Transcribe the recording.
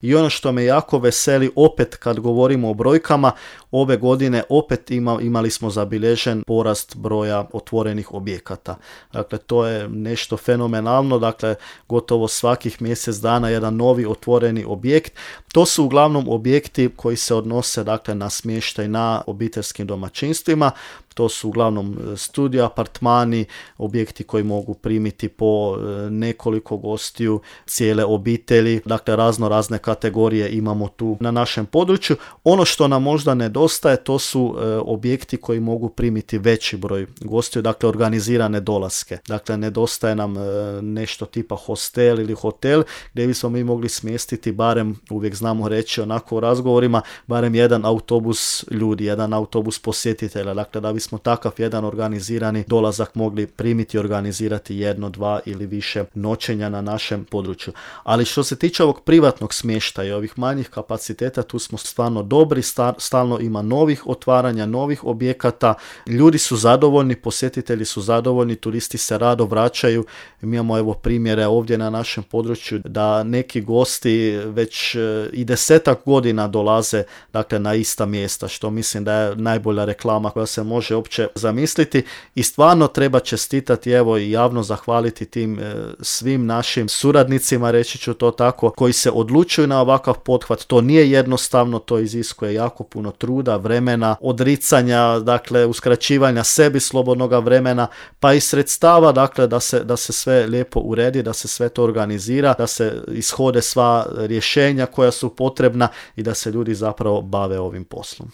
I ono što me jako veseli, opet kad govorimo o brojkama, ove godine opet imali smo zabilježen porast broja otvorenih objekata. Dakle, to je nešto fenomenalno, dakle, gotovo svakih mjesec dana jedan novi otvoreni objekt. To su uglavnom objekti koji se odnose, dakle, na smještaj na obiteljskim domaćinstvima. To su uglavnom studio, apartmani, objekti koji mogu primiti po nekoliko gostiju, cijele obitelji, dakle razne kategorije imamo tu na našem području. Ono što nam možda nedostaje, to su objekti koji mogu primiti veći broj gostiju, dakle organizirane dolaske. Dakle, nedostaje nam nešto tipa hostel ili hotel gdje bismo mi mogli smjestiti barem, uvijek znamo reći onako u razgovorima, barem jedan autobus ljudi, jedan autobus posjetitelja, dakle da bismo takav jedan organizirani dolazak mogli primiti i organizirati 1, 2 ili više noćenja na našem području. Ali što se tiče ovog privatnog smještaja i ovih manjih kapaciteta, tu smo stvarno dobri, stalno ima novih otvaranja, novih objekata, ljudi su zadovoljni, posjetitelji su zadovoljni, turisti se rado vraćaju. Mi imamo evo primjere ovdje na našem području da neki gosti već i 10 godina dolaze, dakle, na ista mjesta, što mislim da je najbolja reklama koja se može uopće zamisliti i stvarno treba čestitati, evo, i javno zahvaliti tim svim našim suradnicima, reći ću to tako, koji se odlučuju na ovakav pothvat. To nije jednostavno, to iziskuje jako puno truda, vremena, odricanja, dakle uskraćivanja sebi slobodnoga vremena, pa i sredstava, dakle da se sve lijepo uredi, da se sve to organizira, da se ishode sva rješenja koja su potrebna i da se ljudi zapravo bave ovim poslom.